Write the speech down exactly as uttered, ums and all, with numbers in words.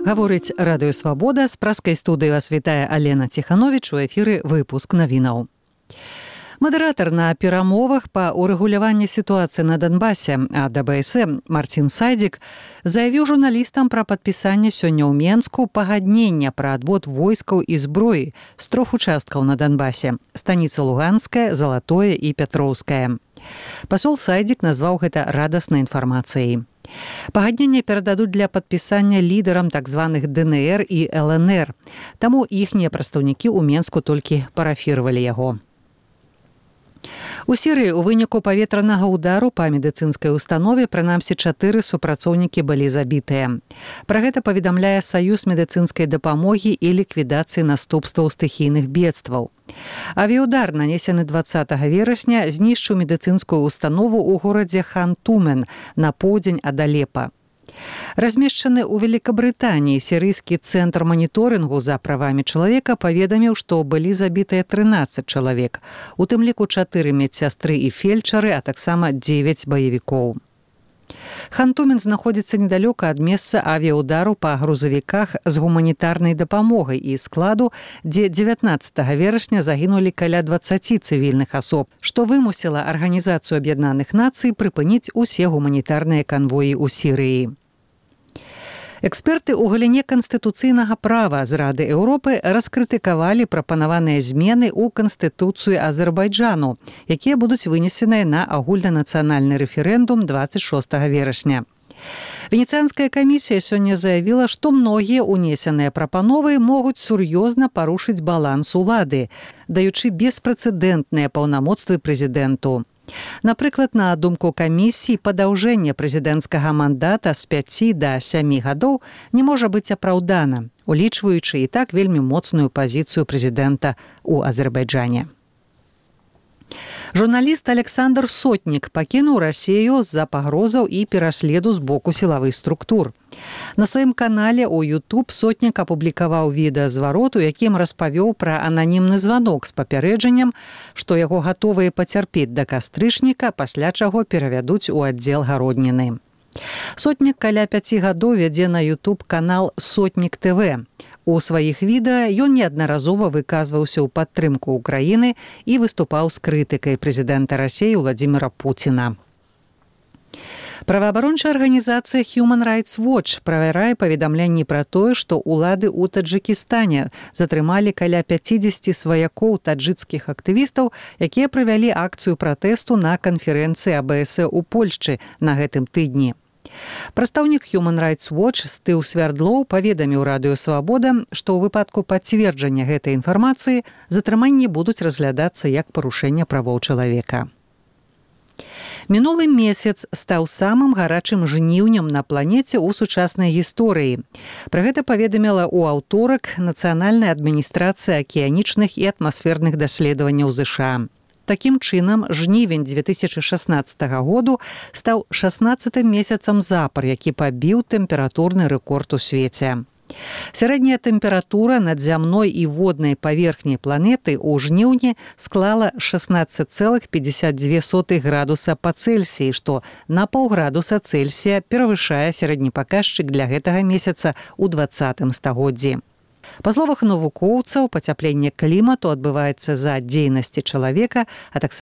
Гаворыць радыё Свабода, з праскай студыі вас вітае Алена Ціхановіч, у эфіры выпуск навінаў. Мадэратар на перамовах па урэгуляванні сітуацыі на Донбасе ад а бэ эс э Марцін Сайдзік заявіў журналістам пра падпісанне сёння ў Менску пагаднення пра адвод войскаў і зброі з трох участкаў на Донбасе – станіца Луганская, Залатое і Пятроўская. Пасол Сайдзік назваў гэта радаснай інфармацыяй. Пагадненне перададуць для падпісання лідарам так званых дэ эн эр і эл эн эр, таму іхнія прадстаўнікі ў Менску толькі парафіравалі яго. У Сірыі ў выніку паветранага ўдару па медыцынскай установе прынамсі чатыры супрацоўнікі былі забітыя. Пра гэта паведамляе Саюз медыцынскай дапамогі і ліквідацыі наступстваў стыхійных бедстваў. Авіяудар, нанесены дваццатага верасня, знішчыў медыцынскую установу ў горадзе Хан-Тумен на поўдзень ад Алепа. Размешчаны ў Великабрытаніі сірыйскі цэнтр маніторынгу за правамі чалавека паведаміў, што былі забітыя трынаццаць чалавек, у тым ліку чатыры медсястры і фельчары, а таксама дзевяць баевікоў. Хан-Тумен знаходзіцца недалёка ад месца авіяудару па грузавіках з гуманітарнай дапамогай і складу, дзе дзевятнаццатага верасня загінулі каля дваццаці цывільных асоб, што вымусіла Арганізацыю Аб'яднаных Нацый прыпыніць усе гуманітарныя канвоі ў Сірыі. Эксперты ў галіне канстытуцыйнага права з Рады Еўропы раскрытыкавалі прапанаваныя змены ў Канстытуцыю Азербайджану, якія будуць вынесеныя на агульнанацыянальны рэферэндум дваццаць шостага верасня. Венецыянская камісія сёння заявіла, што многія ўнесеныя прапановы могуць сур'ёзна парушыць баланс улады, даючы беспрэцэдэнтныя паўнамоцтвы прэзідэнту. Напрыклад, на думку камісіі, падаўжэнне прэзідэнцкага мандата з пяці да сямі гадоў не можа быць апраўдана, улічваючы і так вельмі моцную пазіцыю прэзідэнта ў Азербайджане. Журналіст Александр Сотнік пакінуў Расію з-за пагрозаў і пераследу з боку сілавых структур. На сваім канале ў YouTube Сотнік апублікаваў відэазварот, у якім распавёў пра ананімны званок з папярэджаннем, што яго гатовыя пацярпець да кастрычніка, пасля чаго перавядуць у аддзел гародніны. Сотнік каля пяці гадоў вядзе на YouTube канал Сотнік тэ вэ. У сваіх відэа ён неаднаразова выказваўся ў падтрымку ўкраіны і выступаў з крытыкай прэзідэнта Расіі Владзіміра Пуціна. Праваабарончая арганізацыя Human Rights Watch правярае паведамленні пра тое, што ўлады ў Таджыкістане затрымалі каля пяцідзесяці сваякоў таджыкскіх актывістаў, якія правялі акцыю пратэсту на канферэнцыі а бэ эс э ў Польшчы на гэтым тыдні. Прадстаўнік Human Rights Watch Стыў Свярдлоў паведаміў радыё Свабода, што ў выпадку пацверджання гэтай інфармацыі затрыманні будуць разглядацца як парушэнне правоў чалавека. Мінулы месяц стаў самым гарачым жніўнем на планеце ў сучаснай гісторыі. Пра гэта паведаміла ў аўторак Нацыянальная адміністрацыя акіянічных і атмасферных даследаванняў ЗША. Такім чынам, жнівень дзве тысячы шаснаццатага году стаў шаснаццатым месяцам запар, які пабіў тэмпературны рэкорд у свеце. Сярэдняя тэмпература над зямной і воднай паверхняй планеты ў жніўні склала шаснаццаць цэлых пятьдесят две сотых градуса па Цельсіі, што на паўградуса Цельсія перавышае сярэдні паказчык для гэтага месяца ў дваццатым стагоддзі. Па словах навукоўцаў, пацяпленне клімату адбываецца з-за дзейнасці чалавека, а таксама